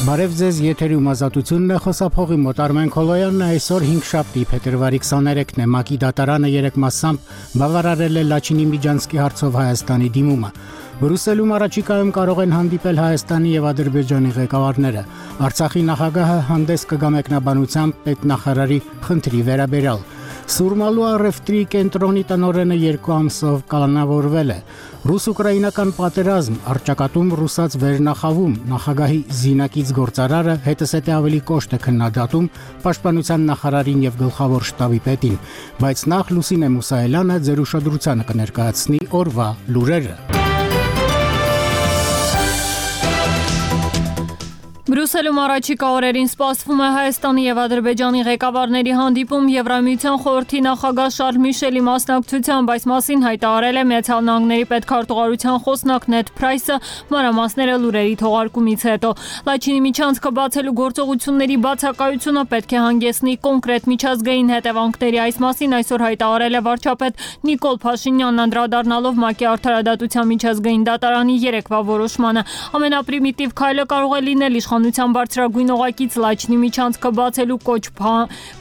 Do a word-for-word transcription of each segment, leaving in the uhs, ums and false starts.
Բարև ձեզ, եթերում ազատությունն է, խոսափողի մոտ Արմեն Քոլոյանն այսօր հինգշաբթի փետրվարի քսաներեքն է, ՄԱԿ-ի դատարանը երեք մասամբ բավարարել է Լաչինի Միջանցքի հարցով Հայաստանի դիմումը։ Բրյուսելում առաջիկայում կարող են հանդիպել Հայաստանի եւ Ադրբեջանի ղեկավարները։ Արցախի նախագահը հանդես կգա մեկնաբանությամբ պետնախարարի խնդրի վերաբերյալ։ Սուրմալու առևտրի կենտրոնի տնօրենը երկու ամսով կանոնավորվել է։ Ռուս-ուկրաինական պատերազմ, առճակատում ռուսաց վերնախավում, նախագահի զինակից գործարարը հետսեթե ավելի կոշտ է քննադատում պաշտպանության նախարարին եւ գլխավոր շտաբի պետին, բայց նախ Լուսինե Մուսայելյանը ձեր ուշադրությանը կներկայացնի օրվա լուրերը։ Բրյուսելում առաջիկա օրերին սպասվում է Հայաստանի եւ Ադրբեջանի ղեկավարների հանդիպում Եվրամիության խորհրդի նախագահ Շարլ Միշելի մասնակցությամբ, այս մասին հայտարարել է Միացյալ Նահանգների պետքարտուղարության խոսնակ Նեդ Փրայսը մանրամասները լուրերի թողարկումից հետո։ Լաչինի միջանցքը բացելու գործողությունների բացակայությունը պետք է հանգեցնի կոնկրետ միջազգային հետևանքների, այս մասին այսօր հայտարարել է վարչապետ Նիկոլ Փաշինյանն, անդրադառնալով ՄԱԿ-ի արդարադատության միջազգային դատարանի երեկվա որոշմանը։ Ամենապրիմիտիվ քայլը կարող է լինել իշխանության բարձրագույն օղակից Լաչինի միջանցքը բացելու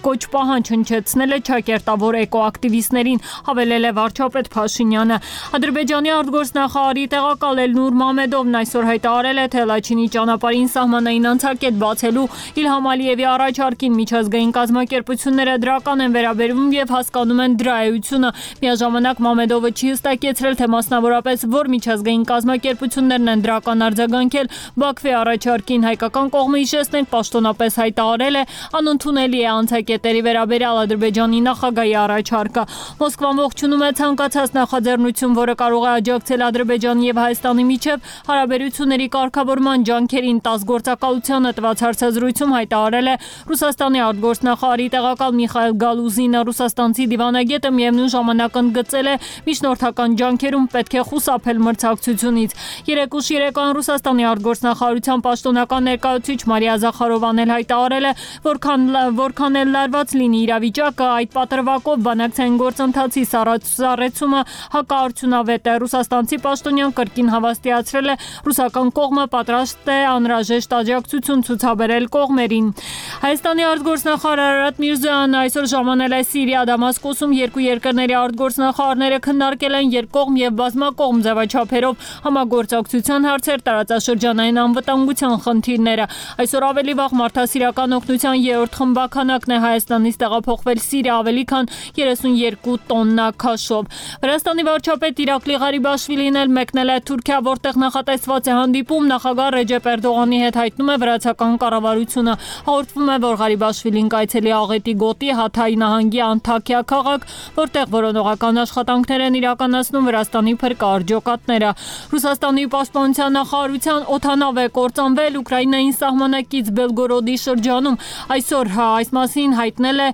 կոչ պահանջ հնչեցնելը ճակերտավոր էկոակտիվիստներին, հավելել է վարչապետ Փաշինյանը։ Ադրբեջանի արտգործնախարարի տեղակալ Էլնուր Մամեդովն այսօր հայտարարել է, թե Լաչինի ճանապարհին սահմանային անցակետ բացելու Իլհամ Ալիևի առաջարկին միջազգային կազմակերպությունները դրական են վերաբերվում եւ հասկանում են դրա էությունը։ Միաժամանակ Մամեդովը չի հստակեցրել, թե մասնավորապես որ միջազգային կազմակերպություններն են դրական արձագանքել Բաքվի առաջարկին։ Հայկական կողմը հիշեցնել պաշտոնապես հայտարարել է անընդունելի է անցակետերի վերաբերյալ Ադրբեջանի նախագահի առաջարկը։ Մոսկվան ողջունում է ցանկացած նախաձեռնություն, որը կարող է աջակցել Ադրբեջանի եւ Հայաստանի միջև հարաբերությունների կարգավորման ջանքերին, տաս գործակալությանը տված հարցազրույցում հայտարարել է Ռուսաստանի արտգործնախարարի տեղակալ Միխայել Գալուզինը։ Ռուսաստանցի դիվանագետը միևնույն ժամանակ ընդգծել է միջնորդական ջանքերում պետք է խուսափել մրցակցությունից։ Երեք ուշ երեկոյան Ռուսաստանի արտգործնախարարության պաշտոնական ներկայացուցիչ Մարիա Զախարովան էլ հայտարարել է, որքան որքան էլ լարված լինի իրավիճակը, այդ պատրվակով բանակցային գործընթացի սառեցումը հակաարդյունավետ է։ Ռուսաստանցի պաշտոնյան կրկին հավաստիացրել է, ռուսական կողմը պատրաստ է անհրաժեշտ աջակցություն ցուցաբերել կողմերին։ Հայաստանի արտգործնախարար Արարատ Միրզոյանն այսօր ժամանել է Սիրիա Դամասկոսում, երկու երկրների արտգործնախարարները քննարկել են երկկողմ եւ բազմակողմ ձևաչափերով համագործակցության հարցեր, տարածաշրջանային անվտանգության խնդիրները։ Այսօր ավելի վաղ մարդասիրական օգնության երրորդ խմբականակն է Հայաստանից տեղափոխվել Սիրիա ավելի քան երեսունյոթ տոննա քաշով։ Վրաստանի վարչապետ Իրակլի Ղարիբաշվիլին էլ մեկնել է Թուրքիա, որտեղ նախատեսված է հանդիպում, նախագահ Ռեջեփ Էրդողանի հետ, հայտնում է վրացական կառավարությունը։ Հաղորդվում է, որ Ղարիբաշվիլին կայցելի Աղետի գոտի Հաթայի նահանգի Անթաքիա քաղաք, որտեղ որոնողական աշխատանքներ են իրականացնում Վրաստանի փրկարաջոկատները։ Ռուսաստանի պաշտպանության նախարարության օդանավ է կործանվել Ուկրաինային սահմանակից Բելգորոդի շրջանում։ Այսօր այս մասին հայտնել է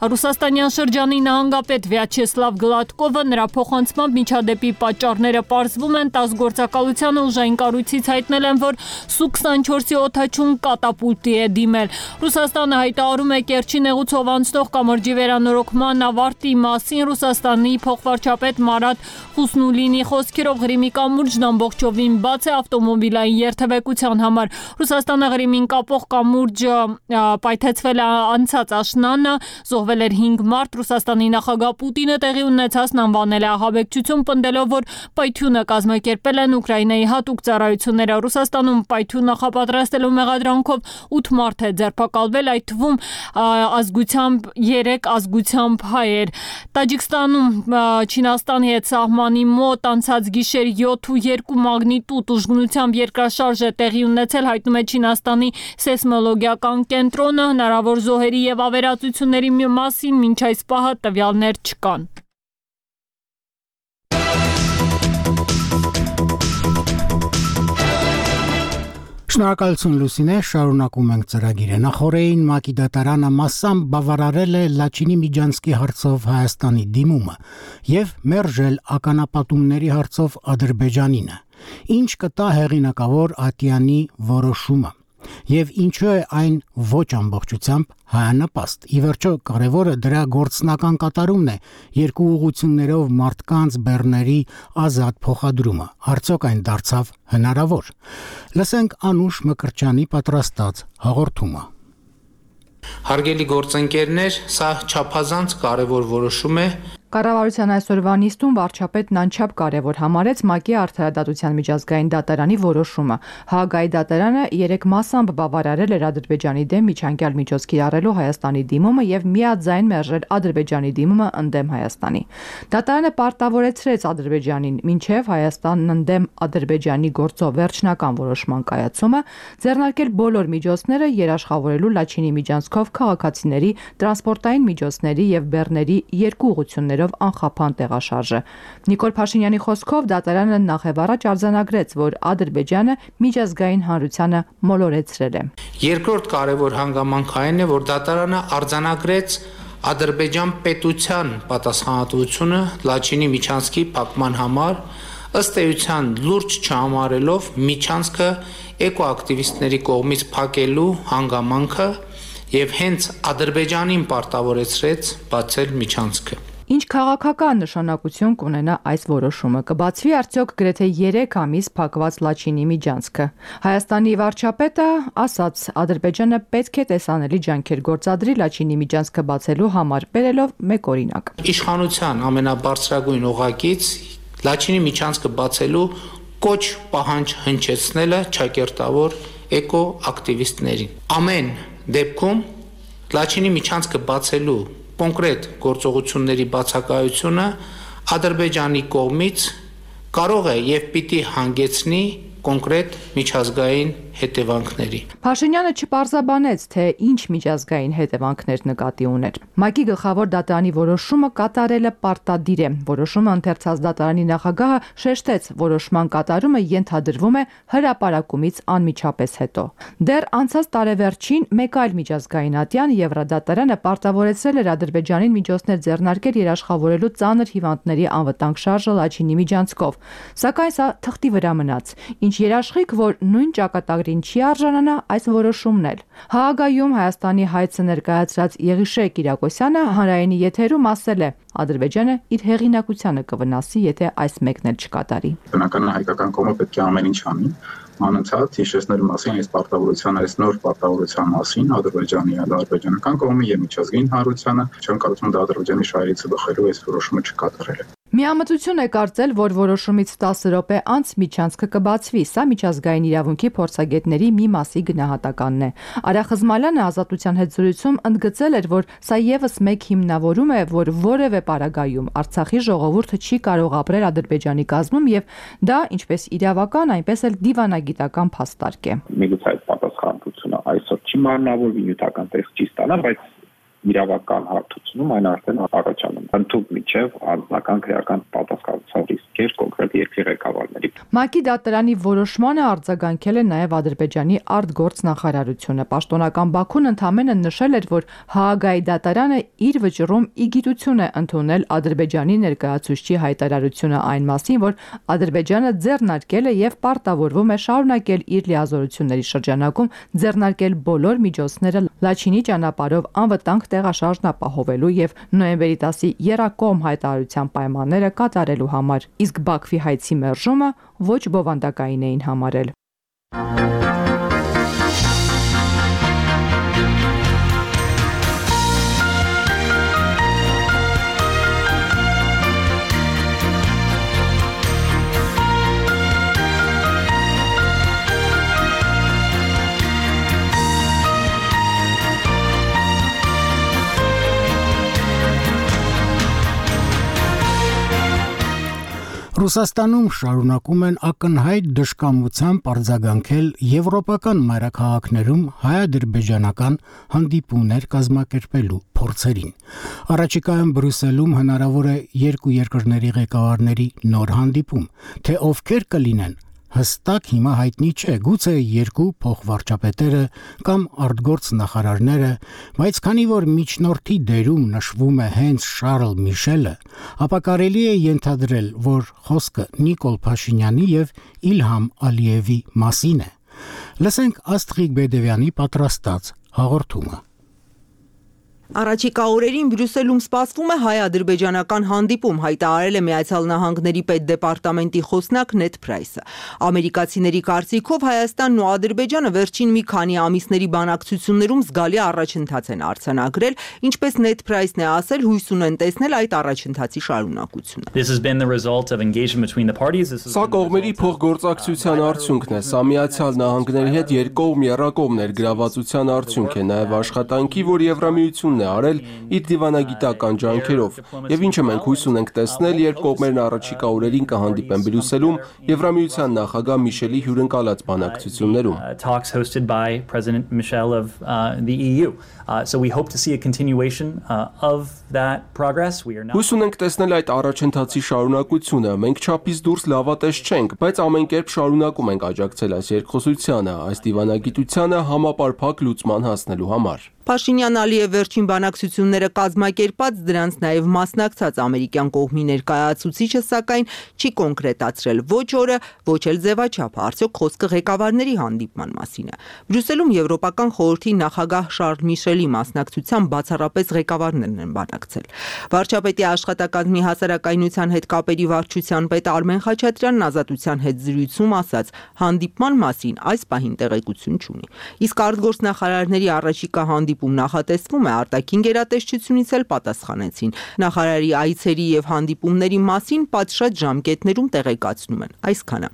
Ռուսաստանյան շրջանի նահանգապետ Վյաչեսլավ Գլադկովը, նրա փոխանցմամբ միջադեպի պատճառները պարզվում են, տաս գործակալությանը ուժային կառույցից հայտնել են, որ Սու քսանչորսի օդաչուն կատապուլտի է դիմել։ Ռուսաստանը հայտարարում է Կերչի նեղուցով անցնող կամրջի վերանորոգման ավարտի մասին։ Ռուսաստանի փոխվարչապետ Մարատ Խուսնուլինի խոսքերով Ղրիմի կամուրջն ամբողջովին բաց է ավտոմոբիլային երթևեկության համար։ Ռուսաստանը Ղրիմին կապող կամուրջը պայթեցվել է անցած աշնանը, զոհվել էր հինգ մարդ։ Ռուսաստանի նախագահ Պուտինը տեղի ունեցածն անվանել է ահաբեկչություն, պնդելով, որ պայթյունը կազմակերպել են Ուկրաինայի հատուկ ծառայությունները։ Ռուսաստանում պայթյուն նախապատրաստելու մեղադրանքով ութ մարդ է ձերբակալվել, այդ թվում ազգությամբ երեք ազգությամբ հայեր։ Տաջիկստանում Չինաստանի հետ սահմանի մոտ անցած գիշեր յոթ ու երկու մագնիտուդ ուժգնությամբ երկրաշարժ է տեղի ունեցել, հայտնում է Չինաստանի սեյսմոլոգիական կենտրոնը։ Հնարավոր զոհերի եւ ավերածությունների մասին մինչ այս պահը տվյալներ չկան։ Շնորհակալություն Լուսինե, շարունակում ենք ծրագիրը։ Նախորդին ՄԱԿ-ի դատարանը մասամբ բավարարել է Լաչինի Միջանցքի հարցով Հայաստանի դիմումը եւ մերժել ականապատումների հարցով Ադրբեջանինը։ Ինչ կտա հեղինակավոր Ատյանի որոշումը։ Եվ ինչու է այն ոչ ամբողջությամբ հայանպաստ։ Ի վերջո կարևորը դրա գործնական կատարումն է, երկու ուղղություններով մարդկանց բեռների ազատ փոխադրումը։ Արդյոք այն դարձավ հնարավոր։ Լսենք Անուշ Մկրտչյանի պատրաստած հաղորդումը։ Հարգելի գործընկերներ, սա չափազանց կարևոր որոշում է։ Կառավարության այսօրվա նիստում վարչապետն անչափ կարևոր համարեց ՄԱԿ-ի Արդարադատության միջազգային դատարանի որոշումը։ Հաագայի դատարանը երեք մասամբ բավարարել էր Ադրբեջանի դեմ միջանկյալ միջոց կիրառելու Հայաստանի դիմումը եւ միաձայն մերժել Ադրբեջանի դիմումը ընդդեմ Հայաստանի։ Դատարանը պարտավորեցրեց Ադրբեջանին մինչեւ Հայաստանն ընդդեմ Ադրբեջանի գործով վերջնական որոշման կայացումը ձեռնարկել բոլոր միջոցները երաշխավորելու Լաչինի միջանցքով քաղաքացիների, տրանսպորտային միջոցների եւ բեռների երկու ուղղություններ անխափան տեղաշարժը։ Նիկոլ Փաշինյանի խոսքով դատարանը նախևառաջ արձանագրեց, որ Ադրբեջանը միջազգային հանրությանը մոլորեցրել է։ Երկրորդ կարևոր հանգամանքը այն է, որ դատարանը արձանագրեց Ադրբեջան պետության պատասխանատվությունը Լաչինի միջանցքի փակման համար, ըստ էության լուրջ չհամարելով միջանցքը էկոակտիվիստների կողմից փակելու հանգամանքը եւ հենց Ադրբեջանին պարտավորեցրեց բացել միջանցքը։ Ինչ քաղաքական նշանակություն կունենա այս որոշումը։ Կբացվի արդյոք գրեթե երեք ամիս փակված Լաչինի միջանցքը։ Հայաստանի վարչապետը ասաց, Ադրբեջանը պետք է տեսանելի ջանքեր գործադրի Լաչինի միջանցքը բացելու համար, բերելով մեկ օրինակ։ Իշխանության ամենաբարձրագույն օղակից Լաչինի միջանցքը բացելու կոչ պահանջ հնչեցնելը ճակերտավոր էկոակտիվիստներին։ Ամեն դեպքում Լաչինի միջանցքը բացելու կոնկրետ գործողությունների բացակայությունը Ադրբեջանի կողմից կարող է եւ պիտի հանգեցնի կոնկրետ միջազգային հետևանքների։ Փաշինյանը չպարզաբանեց, թե ինչ միջազգային հետևանքներ նկատի ուներ։ ՄԱԿ-ի գլխավոր դատարանի որոշումը կատարելը պարտադիր է։ Որոշումը ընթերցած դատարանի նախագահը շեշտեց, որոշման կատարումը ենթադրվում է հրապարակումից անմիջապես հետո։ Դեռ անցած տարեվերջին մեկ այլ միջազգային ատյան Եվրադատարանը պարտավորեցրել էր Ադրբեջանին միջոցներ ձեռնարկել երաշխավորելու ծանր հիվանդների անվտանգ շարժը Լաչինի միջանցքով։ Սակայն սա թղթի վրա մնաց, ինչ երաշխիք, որ նույն ճակատագրին չի արժանանա այս որոշումն էլ։ Հաագայում Հայաստանի հայցը ներկայացրած Եղիշե Կիրակոսյանը հանրայինի եթերում ասել է. Ադրբեջանը իր հեղինակությանը կվնասի, եթե այս մեկն էլ չկատարի։ Բնականաբար հայկական կողմը պետք է ամեն ինչ անի, անընդհատ հիշեցնելու մասին այս պարտավորության, այս նոր պարտավորության մասին Ադրբեջանի եւ ադրբեջանական կողմի եւ միջազգային հանրությանը, չեմ կարծում դա Ադրբեջանի շահերից բխելու այս որոշումը չկատարել է։ Միամտություն է կարծել, որ որոշումից տասը րոպե անց միջանցքը կբացվի, սա միջազգային իրավունքի փորձագետների մի մասի գնահատականն է։ Արա Խզմալյանը Ազատության հետ զրույցում ընդգծել էր, որ սա եւս մեկ հիմնավորում է, որ որևէ պարագայում Արցախի ժողովուրդը չի կարող ապրել Ադրբեջանի կազմում եւ դա ինչպես իրավական, այնպես էլ դիվանագիտական փաստարկ է։ Միգուցե այդ պատասխանատվությունը այսօր չի մարմնավորվի, նյութական տեղ չի ստանա, բայց իրավական հարթությունում այն արդեն առաջանում է։ Ընդհանուր միջև անձնական քրեական պատասխանատվության ռիսկեր կոնկրետ երկրի ղեկավարների։ ՄԱԿ-ի դատարանի որոշմանը արձագանքել է նաև Ադրբեջանի արտգործնախարարությունը։ Պաշտոնական Բաքուն ընդամենը նշել էր, որ Հաագայի դատարանը իր վճռում իգիտություն է ընդունել Ադրբեջանի ներկայացուցչի հայտարարությունը այն մասին, որ Ադրբեջանը ձեռնարկել է եւ պարտավորվում է շարունակել իր լիազորությունների շրջանակում ձեռնարկել բոլոր միջոցները Լաչինի ճանապարհով անվտանգ տեղաշարժն ապահովելու եւ նոյեմբերի տասի եռակողմ հայտարարության պայմանները կատարելու համար, իսկ Բաքվի հայցի մերժումը ոչ բովանդակային էին համարել։ Ռուսաստանում շարունակում են ակնհայտ դժկամությամբ արձագանքել եվրոպական մայրաքաղաքներում հայ-ադրբեջանական հանդիպումներ կազմակերպելու փորձերին։ Առաջիկայում Բրյուսելում հնարավոր է երկու երկրների ղեկավարների նոր հանդիպում, թե ովքեր կլինեն, հստակ հիմա հայտնի չէ, գուցե երկու փոխվարչապետերը կամ արտգործ նախարարները, բայց քանի որ միջնորդի դերում նշվում է հենց Շարլ Միշելը, ապա կարելի է ենթադրել, որ խոսքը Նիկոլ Փաշինյանի եւ Իլհամ Ալիևի մասին է։ Լսենք Աստղիկ Բեդևյանի պատրաստած հաղորդումը։ Առաջիկա օրերին Բրյուսելում սպասվում է հայ-ադրբեջանական հանդիպում, հայտարարել է Միացյալ Նահանգների պետդեպարտամենտի խոսնակ Նեդ Փրայսը։ Ամերիկացիների կարծիքով Հայաստանն ու Ադրբեջանը վերջին մի քանի ամիսների բանակցություններում զգալի առաջընթաց են արձանագրել, ինչպես Նեդ Փրայսն է ասել, հույս ունեն տեսնել այդ առաջընթացի շարունակությունը։ Սա կողմերի փոխգործակցության արդյունքն է, սա Միացյալ Նահանգների հետ երկկողմ եռակողմ ներգրավվածության արդյունք է, նաև աշխատանքի, որ Եվրամիությունն է արել իր դիվանագիտական ջանքերով, եւ ինչը մենք հույս ունենք տեսնել, երբ կողմերն առաջիկա օրերին կհանդիպեն Բրյուսելում Եվրամիության նախագահ Միշելի հյուրընկալած բանակցություններում։ Հույս ունենք տեսնել այդ առաջընթացի շարունակությունը, մենք չափից դուրս լավատես չենք, բայց ամեն կերպ շարունակում ենք աջակցել այս երկխոսությանը, այս դիվանագիտությանը համապարփակ լուծման հասնելու համար։ Փաշինյան-Ալիև վերջին բանակցությունները կազմակերպած, դրանց նաև մասնակցած ամերիկյան կողմի ներկայացուցիչը, սակայն չի կոնկրետացրել ոչ օրը, ոչ էլ ձևաչափը, արդյոք խոսքը ղեկավարների հանդիպման մասին է։ Բրյուսելում Եվրոպական խորհրդի նախագահ Շարլ Միշելի մասնակցությամբ բացառապես ղեկավարներն են բանակցել։ Վարչապետի աշխատակազմի հասարակայնության հետ կապերի վարչության պետ Արմեն Խաչատրյանն Ազատության հետ զրույցում ասաց, հանդիպման մասին այս պահին տեղեկություն չունի։ Իսկ արտգործնախարարների առաջիկա հանդիպում նախատեսվում է, արտաքին գերատեսչությունից էլ պատասխանեցին։ Նախարարի այցերի եւ հանդիպումների մասին պատշաճ ժամկետներում տեղեկացնում են։ Այսքանը։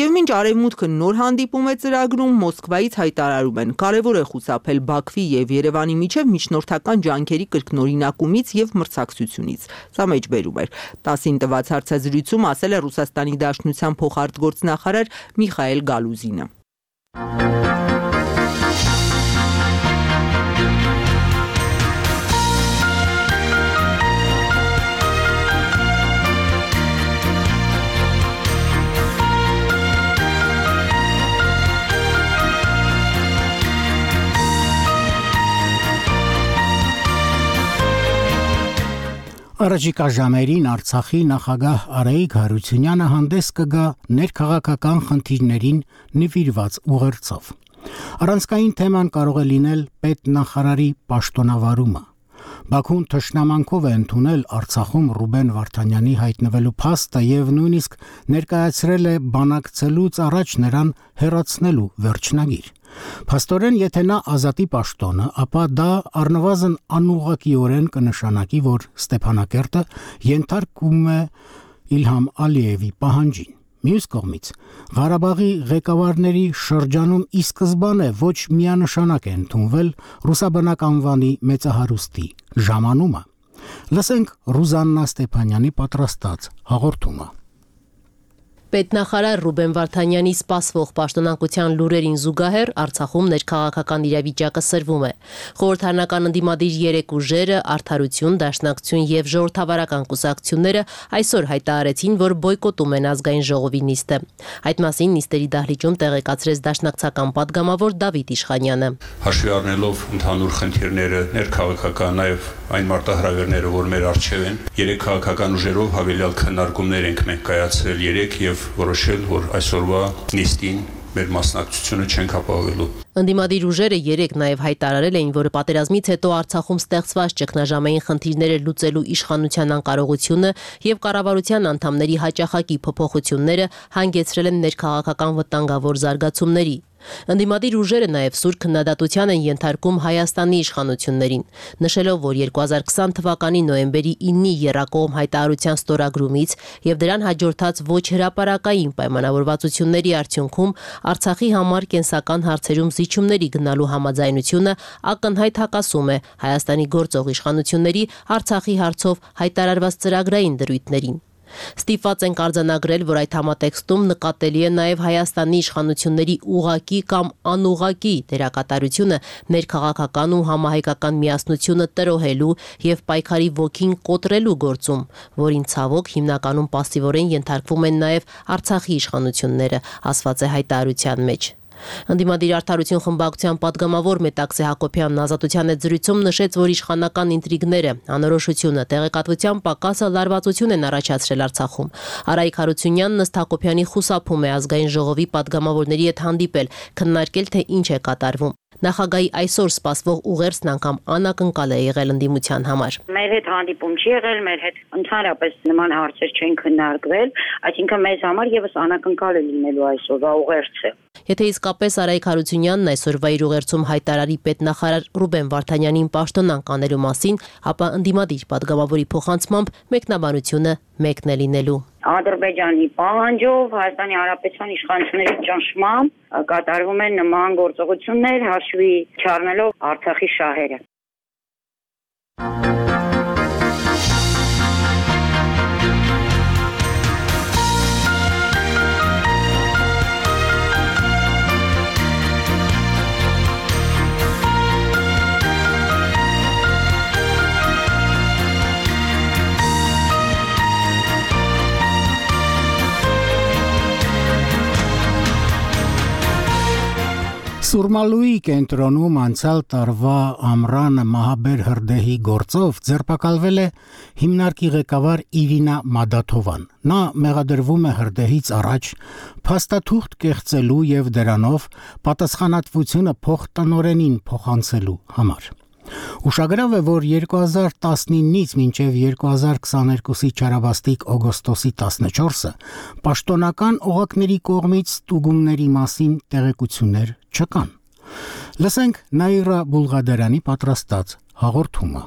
Եվ մինչ Արևմուտքը նոր հանդիպում է ծրագրում, Մոսկվայից հայտարարում են, կարևոր է խուսափել Բաքվի եւ Երևանի միջև միջնորդական ջանքերի կրկնօրինակումից եւ մրցակցությունից։ Սա մեջբերում էր։ տասին տված հարցազրույցում ասել է Ռուսաստանի Դաշնության փոխարտգործնախարար Միխայել Գալուզինը։ Առաջիկա ժամերին Արցախի նախագահ Արայիկ Հարությունյանը հանդես կգա ներքաղաքական խնդիրներին նվիրված ուղերձով։ Առանցքային թեման կարող է լինել պետնախարարի պաշտոնավարումը։ Բաքուն թշնամանքով է ընդունել Արցախում Ռուբեն Վարդանյանի հայտնվելու փաստը եւ նույնիսկ ներկայացրել է բանակցելուց առաջ նրան հեռացնելու վերջնագիր։ Փաստորեն, եթե նա ազատի պաշտոնը, ապա դա առնվազն անուղղակիորեն կնշանակի, որ Ստեփանակերտը ենթարկվում է Իլհամ Ալիևի պահանջին։ Մյուս կողմից, Ղարաբաղի ղեկավարների շրջանում ի սկզբանե ոչ միանշանակ է ընդունվել ռուսաբնակ անվանի մեծահարուստի ժամանումը։ Լսենք Ռուզաննա Ստեփանյանի պատրաստած հաղորդումը։ Պետնախարար Ռուբեն Վարդանյանի սպասվող պաշտոնակության լուրերին զուգահեռ Արցախում ներքաղաքական իրավիճակը սրվում է։ Խորհրդարանական ընդդիմադիր երեք ուժերը, Արդարություն, Դաշնակցություն եւ ժողովրդավարական կուսակցությունները այսօր հայտարարեցին, որ բոյկոտում են ազգային ժողովի նիստը։ Այդ մասին նիստերի դահլիճում տեղեկացրեց դաշնակցական падգամավոր Դավիթ Իշխանյանը։ Հաշվի առնելով ընդհանուր խնդիրները, ներքաղաքական, նաեւ այն մարտահրավերները, որ մեր առջև են, երեք քաղաքական ուժերով հավելյալ քննարկումներ ենք մենք կայացրել երեք եւ որոշել, որ այսօրվա նիստին մեր մասնակցությունը չենք ապահովելու։ Ընդդիմադիր ուժերը երեք նաև հայտարարել էին, որ պատերազմից հետո Արցախում ստեղծված ճգնաժամային խնդիրները լուծելու իշխանության անկարողությունը եւ կառավարության անդամների հաճախակի փոփոխությունները հանգեցրել են ներքաղաքական վտանգավոր զարգացումների։ Ընդդիմադիր ուժերը նաև սուր քննադատության են ենթարկում Հայաստանի իշխանություններին, նշելով, որ երկու հազար քսան թվականի նոյեմբերի իննի եռակողմ հայտարարության ստորագրումից եւ դրան հաջորդած ոչ հրապարակային պայմանավորվածությունների արդյունքում Արցախի համար կենսական հարցերում զիջումների գնալու համաձայնությունը ակնհայտ հակասում է Հայաստանի գործող իշխանությունների Արցախի հարցով հայտարարված ծրագրային դրույթներին։ Ստիպված ենք արձանագրել, որ այդ համատեքստում նկատելի է նաև Հայաստանի իշխանությունների ուղղակի կամ անուղղակի դերակատարությունը ներքաղաքական ու համահայկական միասնությունը տրոհելու եւ պայքարի ոգին կոտրելու գործում, որին ցավոք հիմնականում пассивորեն ենթարկվում են նաև Արցախի իշխանությունները, ասված է հայտարարության մեջ։ Ընդդիմադիր Արդարություն խմբակցության պատգամավոր Մետաքսե Հակոբյանն Ազատության հետ զրույցում նշեց, որ իշխանական ինտրիգները, անորոշությունը, տեղեկատվության պակասը լարվածություն են առաջացրել Արցախում։ Արայիկ Հարությունյանն ըստ Հակոբյանի խուսափում է ազգային ժողովի պատգամավորների հետ հանդիպել, քննարկել թե ինչ է կատարվում։ Նախագահի այսօր սպասվող ուղերձն անգամ անակնկալ է եղել ընդդիմության համար։ Մեր հետ հանդիպում չի եղել, մեր հետ ընդհանրապես նման հարցեր չեն քննարկվել, այսինքն մեզ համար եւս անակնկալ է լինելու այսօրվա ուղերձը։ Եթե իսկապես Արայիկ Հարությունյանն այսօրվա իր ուղերձում հայտարարի պետնախարար Ռուբեն Վարդանյանին պաշտոնանկ անելու մասին, ապա ընդդիմադիր պատգամավորի փոխանցմամբ մեկնաբանությունը մեկն է լինելու։ Ադրբեջանի պահանջով Հայաստանի Հանրապետության իշխանությունների ճնշմամբ կատարվում են նման գործողություններ, հաշվի չառնելով Արցախի շահերը։ Սուրմալուի կենտրոնում անցյալ տարվա ամռանը մահաբեր հրդեհի գործով ձերբակալվել է հիմնարկի ղեկավար Իրինա Մադաթովան։ Նա մեղադրվում է հրդեհից առաջ փաստաթուղթ կեղծելու եւ դրանով պատասխանատվությունը փոխտնօրենին փոխանցելու համար։ Ուշագրավ է, որ երկու հազար տասնինից մինչև երկու հազար քսաներկուսի չարաբաստիկ օգոստոսի տասնչորսը պաշտոնական օղակների կողմից ստուգումների մասին տեղեկություններ չկան։ Լսենք Նաիրա Բուլղադարյանի պատրաստած հաղորդումը։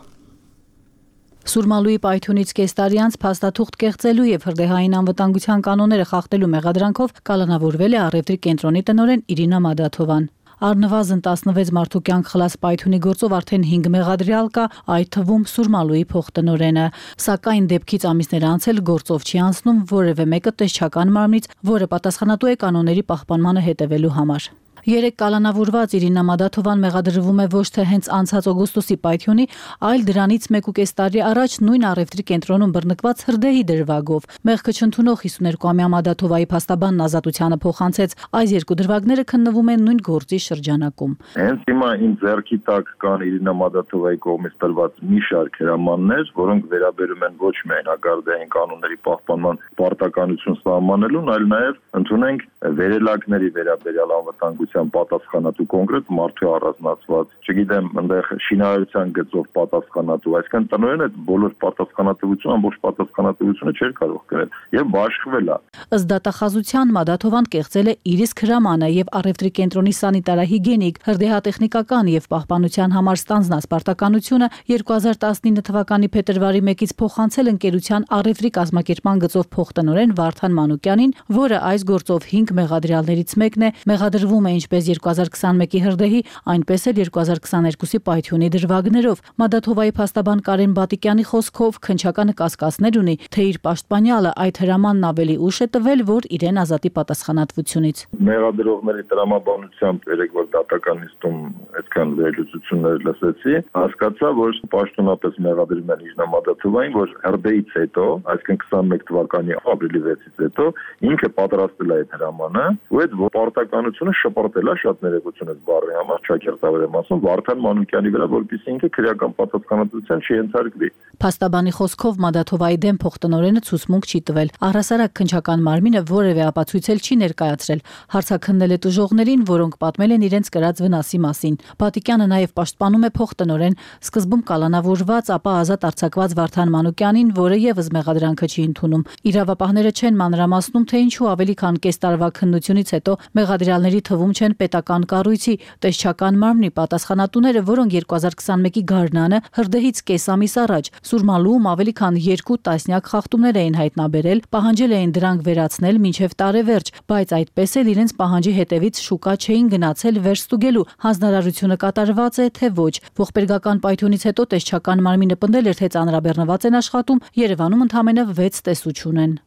Սուրմալուի պայթյունից կես տարի անց փաստաթուղթ կեղծելու եւ հրդեհային անվտանգության կանոնները խախտելու մեղադրանքով կալանավորվել է առևտրի կենտրոնի տնօրեն Իրինա Մադաթովան։ Առնվազն տասնվեց մարդու կյանք խլած պայթյունի գործով արդեն հինգ մեղադրյալ կա, այդ թվում Սուրմալուի փոխտնօրենը։ Սակայն դեպքից ամիսներ անց էլ գործով չի անցնում որևէ մեկը տեսչական մարմնից, որը պատասխանատու է կանոնների պահպանմանը հետևելու համար։ Երեք կալանավորված Իրինա Մադաթովան մեղադրվում է ոչ թե հենց անցած օգոստոսի պայթյունի, այլ դրանից մեկուկես տարի առաջ նույն առևտրի կենտրոնում բռնկված հրդեհի դրվագով։ Մեղքը չընդունող հիսուներկուամյա Մադաթովայի փաստաբանն Ազատությանը փոխանցեց, այս երկու դրվագները քննվում են նույն գործի շրջանակում։ Հենց հիմա իմ ձեռքի տակ կան Իրինա Մադաթովայի կողմից տրված մի շարք հրամաններ, որոնք վերաբերում են ոչ միայն հակարդեհային կանոնների պահպանման պարտականություն սահմանելուն, այլ նաև ընդունենք վերելակների վերաբերյալ անվտանգության պատասխանատու կոնկրետ մարդու առանձնացված, չգիտեմ, այնտեղ շինարարության գծով պատասխանատու, այսինքն տնօրենը բոլոր պատասխանատվությունը, ամբողջ պատասխանատվությունը չէր կարող կրել եւ բաշխվել է։ Ըստ դատախազության Մադաթովան կեղծել է իր իսկ հրամանը եւ առևտրի կենտրոնի սանիտարահիգիենիկ, հրդեհատեխնիկական եւ պահպանության համար ստանձնած պարտականությունը երկու հազար տասնինը թվականի փետրվարի մեկից փոխանցել ընկերության առևտրի կազմակերպման գծով փոխտնօրեն Վարդան Մանուկյանին, որը այս գործով հինգ մեղադրյալներից մեկն է, մեղադրվում է ինչպես երկու հազար քսաներկուի հրդեհի, այնպես էլ երկու հազար քսաներկուսի պայթյունի դրվագներով։ Մադաթովայի փաստաբան Կարեն Բատիկյանի խոսքով քննչականը կասկածներ ունի, թե իր պաշտպանյալը այդ հրամանն ավելի ուշ է տվել, որ իրեն ազատի պատասխանատվությունից։ Մեղադրողների տրամաբանությամբ երեք որ դատական նիստում այդքան վերլուծություններ լսեցի, հասկացա, որ պաշտոնապես մեղադրում են Իրինա Մադաթովային, որ հրդեհից հետո, այսինքն քսաներկու թվականի ապրիլի վեցից հետո ինքը պատրաստել է այդ հրամանը, ու այդ պարտականությունը շպրտել է շատ ներողություն այդ բառի համար, ճակերտավոր եմ ասում, Վարդան Մանուկյանի վրա, որպեսզի ինքը քրեական պատասխանատվության չենթարկվի։ Փաստաբանի խոսքով Մադաթովայի դեմ փոխտնօրենը ցուցմունք չի տվել։ Առհասարակ քննչական մարմինը որևէ ապացույցել չի ներկայացրել։ Հարցաքննել է տուժողներին, որոնք պատմել են իրենց կրած վնասի մասին։ Բատիկյանը նաև պաշտպանում է փոխտնօրեն, սկզբում կալանավորված, ապա ազատ արձակված Վարդան Մանուկյանին, որը եւս մեղադրանքը չի ընդունում։ Իրավապահները չեն մանրամասնում, թե ինչու ավելի քան կես տարվա քննությունից հետո մեղադրյալների թվում չեն պետական կառույցի, տեսչական մարմնի պատասխանատուները, որոնք երկու հազար քսաներկուի գարնանը հրդեհից կես ամիս առաջ Սուրմալուում ավելի քան երկու տասնյակ խախտումներ էին հայտնաբերել, պահանջել էին դրանք վերացնել մինչև տարեվերջ, բայց այդպես էլ իրենց պահանջի հետևից շուկա չէին գնացել վերստուգելու հանձնարարությունը կատարված է թե ոչ։ Ողբերգական պայթյունից հետո տեսչական մարմինը պնդել էր, թե ծանրաբեռնված են աշխատում, Երևանում ընդամենը վեց տեսություն են։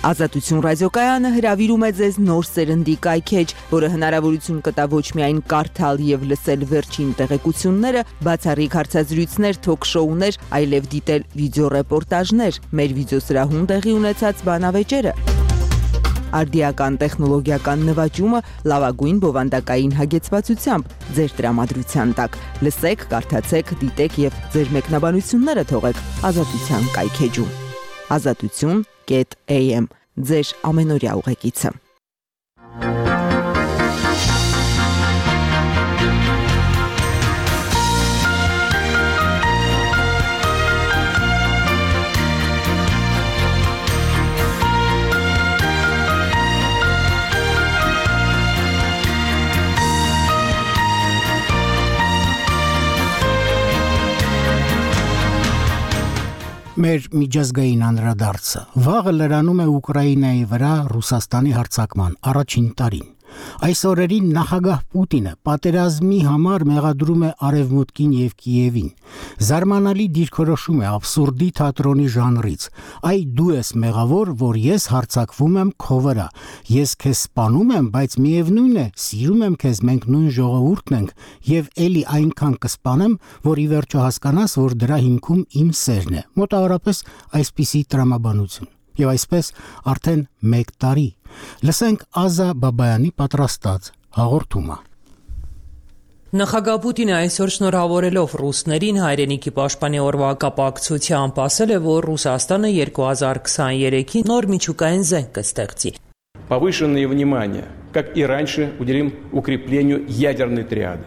Ազատություն ռադիոկայանը հրավիրում է ձեզ նոր սերնդի կայքեջ, որը հնարավորություն կտա ոչ միայն կարդալ եւ լսել վերջին տեղեկությունները, բացառիկ հարցազրույցներ, թոք-շոուներ, այլև դիտել վիդեոռեպորտաժներ, մեր վիդեոսրահում տեղի ունեցած բանավեճերը։ արդիական տեխնոլոգիական նվաճումը լավագույն բովանդակային հագեցվածությամբ ձեր տրամադրության տակ։ Լսեք, կարդացեք, դիտեք եւ ձեր մեկնաբանությունները թողեք Ազատության կայքեջում։ ազատություն կետ էյ էմ ձեր ամենօրյա ուղեկիցը։ Մեր միջազգային անդրադարձը վաղը լրանում է Ուկրաինայի վրա Ռուսաստանի հարձակման առաջին տարին։ Այս օրերին նախագահ Պուտինը պատերազմի համար մեղադրում է Արևմուտքին եւ Կիևին։ Զարմանալի դիրքորոշում է աբսուրդի թատրոնի ժանրից։ Այ դու ես մեղավոր, որ ես հարձակվում եմ քո վրա։ Ես քեզ սպանում եմ, բայց միևնույն է, սիրում եմ քեզ, մենք նույն ժողովուրդն ենք եւ էլի այնքան կսպանեմ, որ ի վերջո հասկանաս, որ դրա հիմքում իմ սերն է։ Մոտավորապես այսպիսի տրամաբանություն։ Եվ այսպես արդեն մեկ տարի։ Լսենք Ազա Բաբայանի պատրաստած հաղորդումը։ Նախագահ Պուտինը այսօր շնորհավորելով ռուսներին հայրենիքի պաշտպանի օրվա կապակցությամբ ասել է, որ Ռուսաստանը երկու հազար քսաներեքին նոր միջուկային զենք կստեղծի։ Повышенное внимание, как и раньше, уделим укреплению ядерной триады.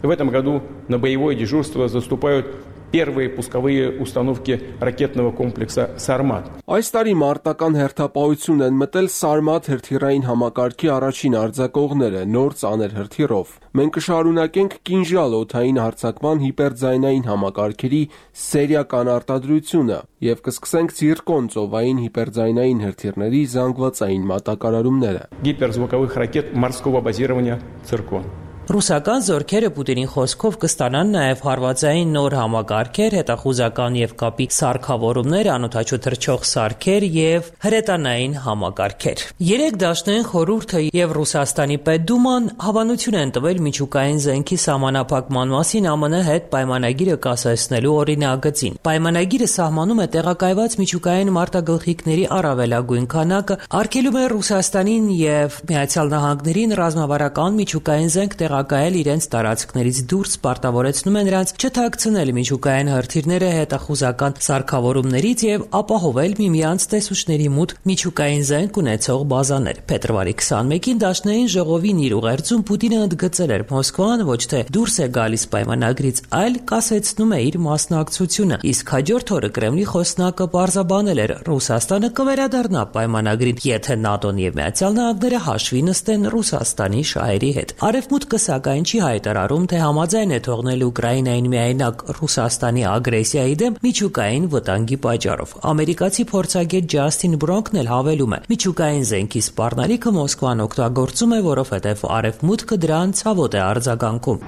В этом году на боевое дежурство заступают первые пусковые установки ракетного комплекса «Сармат». Այս տարի մարտական հերթապահություն են մտել Սարմատ հրթիռային համակարգի առաջին արձակողները նոր ծանր հրթիռով։ Մենք կշարունակենք կինժալ օդային հարձակման հիպերձայնային համակարգերի սերիական արտադրությունը եւ կսկսենք Ցիրկոն ծովային հիպերձայնային հրթիռների զանգվածային մատակարարումները։ Гиперзвуковых ракет морского базирования «Циркон». Ռուսական զորքերը Պուտինի խոսքով կստանան նաև հարվածային նոր համակարգեր, հետախուզական եւ կապի սարքավորումներ, անօդաչու թռչող սարքեր եւ հրետանային համակարգեր։ Երեք դաշնային խորհուրդը եւ Ռուսաստանի Պետդուման հավանություն են տվել միջուկային զենքի սահմանափակման մասին ԱՄՆ հետ պայմանագիրը կասեցնելու օրինագծին։ Պայմանագիրը սահմանում է տեղակայված միջուկային մարտագլխիկների առավելագույն քանակը, արգելում է Ռուսաստանին եւ Միացյալ Նահանգներին ռազմավարական միջուկային զենք տեղակայել իրենց տարածքներից դուրս, պարտավորեցնում է նրանց չթաքցնել միջուկային հրթիռները հետախուզական սարքավորումներից եւ ապահովել միմյանց տեսուչների մոտ միջուկային զենք ունեցող բազաներ։ Փետրվարի քսաներեքին Դաշնային ժողովին իր ուղերձում Պուտինը ընդգծել էր Մոսկվան ոչ թե դուրս է գալիս պայմանագրից, այլ կասեցնում է իր մասնակցությունը։ Իսկ հաջորդ օրը Կրեմլի խոսնակը պարզաբանել էր Ռուսաստանը կվերադառնա պայմանագրին, եթե ՆԱՏՕ-ն եւ Միացյալ Նահանգները հաշվի նստեն Ռուսաստանի շահերի հետ։ Արևմուտքը սակայն չի հայտարարում, թե համաձայն է թողնել Ուկրաինային միայնակ Ռուսաստանի ագրեսիայի դեմ միջուկային վտանգի պատճառով։ Ամերիկացի փորձագետ Ջասթին Բրոնքն էլ հավելում է. միջուկային զենքի սպառնալիքը Մոսկվան օգտագործում է, որովհետև Արևմուտքը դրան ցավոտ է արձագանքում։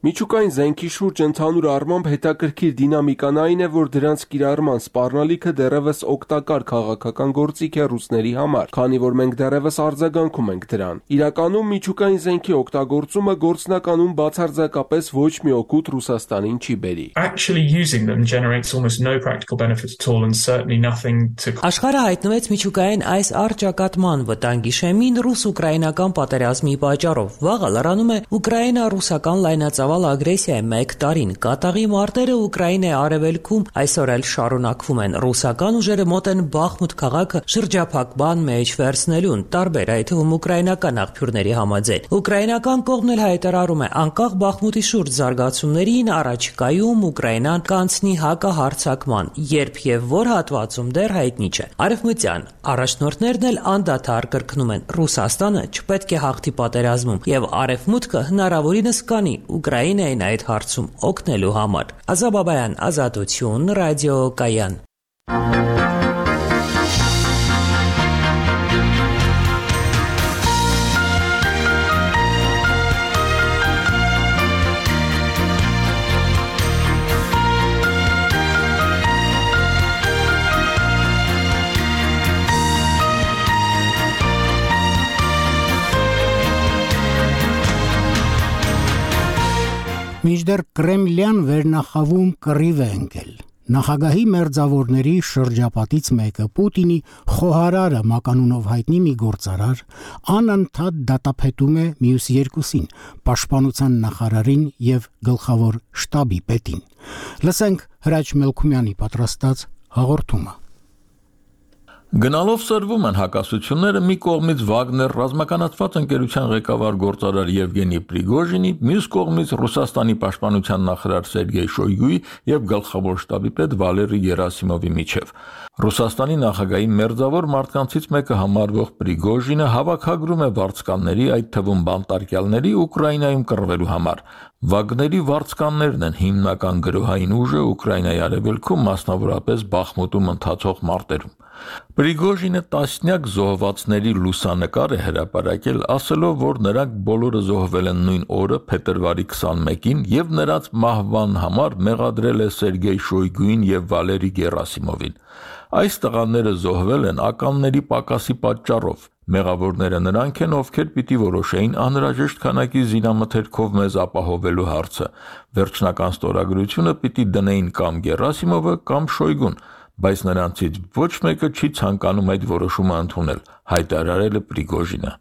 Միջուկային զենքի շուրջ ընդհանուր առմամբ հետաքրքիր դինամիկան այն է, որ դրանց կիրառման սպառնալիքը դեռևս օգտակար քաղաքական գործիք է ռուսների համար, քանի որ մենք դեռևս արձագանքում ենք դրան։ Իրականում միջուկային զենքի օգտագործումը գործնականում բացարձակապես ոչ մի օգուտ Ռուսաստանին չի բերի։ Աշխարհը հայտնվեց միջուկային այս առճակատման վտանգի շեմին ռուս-ուկրաինական պատերազմի պատճառով։ Վաղը լրանում է ուկրաինա-ռուսական լայնածավալ ագրեսիայի մեկ տարին։ Կատաղի մարտերը Ուկրաինայի արևելքում այսօր էլ շարունակվում են։ Ռուսական ուժերը մոտ են Բախմուտ քաղաքը շրջափակման մեջ վերցնելուն, տարբեր այդ թվում ուկրաինական աղբյուրների համաձայն։ Ուկրաինական կողմն էլ հայտարարում է անկախ Բախմուտի շուրջ զարգացումներին առաջիկայում Ուկրաինան կանցնի հակահարձակման, երբ եւ որ հատվածում դեռ հայտնի չէ։ Արևմտյան առաջնորդներն էլ անդադար կրկնում են Ռուսաստանը չպետք է հաղթի պատերազմում եւ Արևմուտքը հնարավորինս կանի Ուկրաինային այդ հարցում օգնելու համար։ Ազա Բաբայան, Ազատություն, ռադիո Կայան։ Մինչդեռ Կրեմլյան վերնախավում կռիվ է ընկել։ Նախագահի մերձավորների շրջապատից մեկը Պուտինի խոհարարը մականունով հայտնի մի գործարար անընդհատ դատապետում է մյուս երկուսին՝ պաշտպանության նախարարին եւ գլխավոր շտաբի պետին։ Լսենք Հրաչ Մելքումյանի պատրաստած հաղորդումը։ Գնալով սրվում են հակասությունները մի կողմից Վագներ ռազմականացված ընկերության ղեկավար գործարար Եվգենի Պրիգոժինի, մյուս կողմից Ռուսաստանի պաշտպանության նախարար Սերգեյ Շոյգուի եւ գլխավոր շտաբի պետ Վալերի Երասիմովի միջև։ Ռուսաստանի նախագահի մերձավոր մարդկանցից մեկը համարվող Պրիգոժինը հավաքագրում է վարձկանների, այդ թվում բանտարկյալների Ուկրաինայում կռվելու համար։ Վագների վարձկաններն են հիմնական գրոհային ուժը Ուկրաինայի արևելքում, մասնավորապես Բախմուտում ընթացող մարտերում։ Պրիգոժինը տասնյակ զոհվածների լուսանկար է հրապարակել, ասելով, որ նրանք բոլորը զոհվել են նույն օրը, փետրվարի քսանմեկին, եւ նրանց մահվան համար մեղադրել է Սերգեյ Շոյգուին եւ Վալերի Գերասիմովին։ Այս տղաները զոհվել են ականների պակասի պատճառով։ Մեղավորները նրանք են, ովքեր պիտի որոշեին անհրաժեշտ քանակի զինամթերքով մեզ ապահովելու հարցը։ Վերջնական ստորագրությունը պիտի դնեին կամ Գերասիմովը, կամ Շոյգուն, բայց նրանցից ոչ մեկը չի ցանկանում այդ որոշումը ընդունել, հայտարարել է Պրիգոժինը։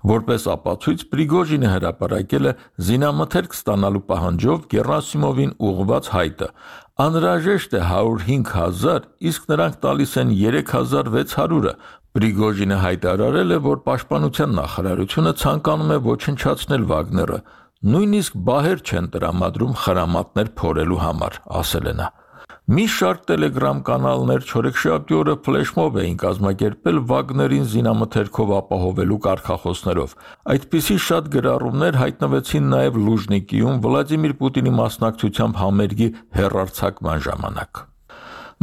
Որպես ապացույց Պրիգոժինը հրապարակել է զինամթերք ստանալու պահանջով Գերասիմովին ուղղված հայտը։ Անհրաժեշտ է հարյուր հինգ հազար, իսկ նրանք տալիս են երեք հազար վեց հարյուրը։ Պրիգոժինը հայտարարել է, որ պաշտպանության նախարարությունը ցանկանում է ոչնչացնել Վագները, նույնիսկ բահեր չեն տրամադրում խրամատներ փորելու համար, ասել է նա։ Մի շարք տելեգրամ կանալներ չորեքշաբթի օրը ֆլեշմոբ էին կազմակերպել Վագներին զինամթերքով ապահովելու կարգախոսներով։ Այդպիսի շատ գրառումներ հայտնվեցին նաև Լուժնիկիում Վլադիմիր Պուտինի մասնակցությամբ համերգի հեռարձակման ժամանակ։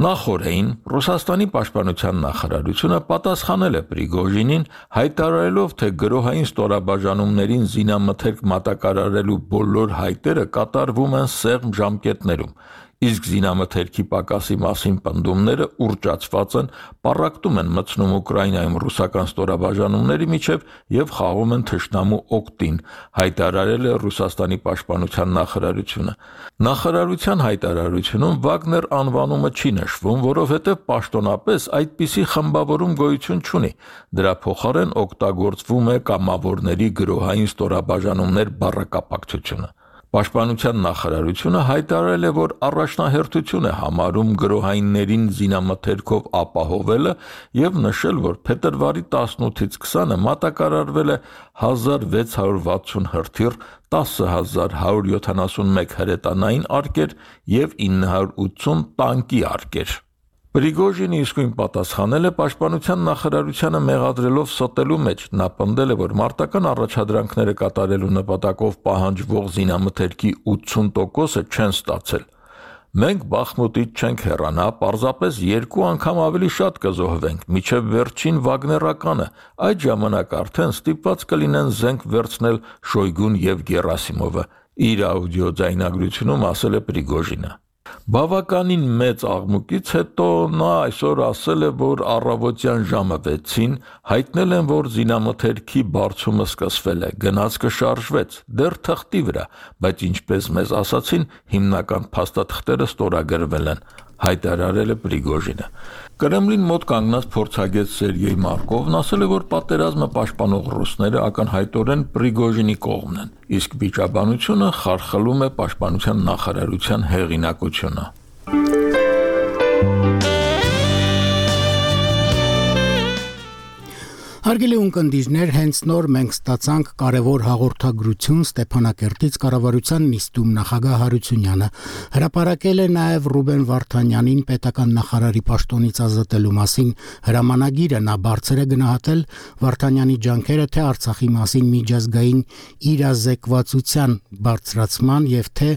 Նախորդին Ռուսաստանի պաշտպանության նախարարությունը պատասխանել է Պրիգոժինին, հայտարարելով, թե գրոհային ստորաբաժանումներին զինամթերք մատակարարելու բոլոր հայտերը կատարվում են սեղմ ժամկետներում, իսկ զինամթերքի պակասի մասին պնդումները ուռճացված են, պառակտում են մտցնում Ուկրաինայում ռուսական ստորաբաժանումների միջև եւ խաղում են թշնամու օգտին, հայտարարել է Ռուսաստանի պաշտպանության նախարարությունը։ Նախարարության հայտարարությունում Վագներ անվանումը չի նշվում, որովհետեւ պաշտոնապես այդպիսի խմբավորում գոյություն չունի։ Դրա փոխարեն օգտագործվում է կամավորների գրոհային ստորաբաժանումներ բառակապակցությունը։ Պաշտպանության նախարարությունը հայտարարել է, որ առաջնահերթություն է համարում գրոհայիններին զինամթերքով ապահովելը եւ նշել, որ փետրվարի տասնութից քսանը մատակարարվել է հազար վեց հարյուր վաթսուն հրթիռ, տասը հազար հարյուր յոթանասունմեկ հրետանային արկեր եւ ինը հարյուր ութսուն տանկի արկեր։ Պրիգոժինը իսկույն պատասխանել է պաշտպանության նախարարությանը մեղադրելով ստելու մեջ։ Նա պնդել է, որ մարտական առաջադրանքները կատարելու նպատակով պահանջվող զինամթերքի ութսուն տոկոսը չեն ստացել։ Մենք Բախմուտից չենք հեռանա, պարզապես երկու անգամ ավելի շատ կզոհվենք, միջև վերջին Վագներականը, այդ ժամանակ արդեն ստիպված կլինեն զենք վերցնել Շոյգուն եւ Գերասիմովը, իր աուդիո ձայնագրությունում ասել է Պրիգոժինը։ Բավականին մեծ աղմուկից հետո նա այսօր ասել է, որ առավոտյան ժամը վեցին հայտնել են, որ զինամթերքի բարձումը սկսվել է, գնացքը շարժվեց, դեռ թղթի վրա, բայց ինչպես մեզ ասացին, հիմնական փաստաթղթերը ստորագրվել են, հայտարարել է Պրիգոժինը։ Կրեմլին մոտ կանգնած փորձագետ Սերգեյ Մարկովն ասել է, որ պատերազմը պաշտպանող ռուսները ակնհայտորեն Պրիգոժինի կողմն են, իսկ վիճաբանությունը խարխլում է պաշտպանության նախարարության հեղինակությունը։ Հարգելի ունկնդիրներ, հենց նոր մենք ստացանք կարևոր հաղորդագրություն Ստեփանակերտից կառավարության նիստում նախագահ Հարությունյանը հրապարակել է նաև Ռուբեն Վարդանյանին պետական նախարարի պաշտոնից ազատելու մասին հրամանագիրը։ Նա բարձր է գնահատել Վարդանյանի ջանքերը թե Արցախի մասին միջազգային իրազեկվածության բարձրացման եւ թե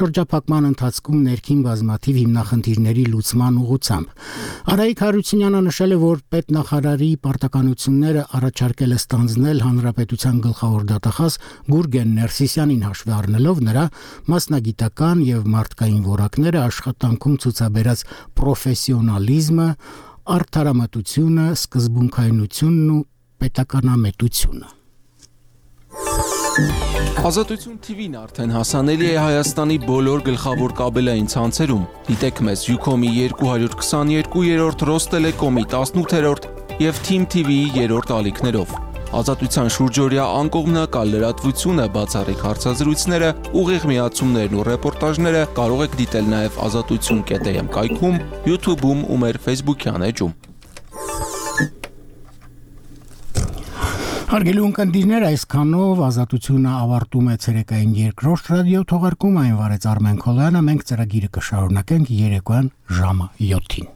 շրջափակման ընթացքում ներքին բազմաթիվ հիմնախնդիրների լուծման ուղղությամբ։ Արայիկ Հարությունյանը նշել է, որ պետնախարարի պարտականությունները առաջարկել է ստանձնել հանրապետության գլխավոր դատախազ Գուրգեն Ներսիսյանին հաշվի առնելով նրա մասնագիտական եւ մարդկային որակները, աշխատանքում ցուցաբերած պրոֆեսիոնալիզմը, արդարամտությունը, սկզբունքայնությունն ու պետականամետությունը։ Ազատություն T V-ն արդեն հասանելի է Հայաստանի բոլոր գլխավոր կաբելային ցանցերում։ Դիտեք մեզ Ucom-ի երկու քսաներկու, Ռոստելեկոմի տասնութերորդ եւ Team T V-ի երրորդ ալիքներով։ Ազատության շուրջօրյա անկողմնակալ լրատվությունը, բացառիկ հարցազրույցները, ուղիղ միացումներն ու ռեպորտաժները կարող եք դիտել նաև ազատություն կետ am կայքում, YouTube-ում ու մեր Facebook-յան էջում։ Հարգելի ունկնդիրներ, այսքանով ազատությունը ավարտում է ցերեկային երկրորդ ռադիո թողարկում, այն վարեց Արմեն Քոլյանը, մենք ծրագիրը կշարունակենք երեկոյան ժամը յոթին։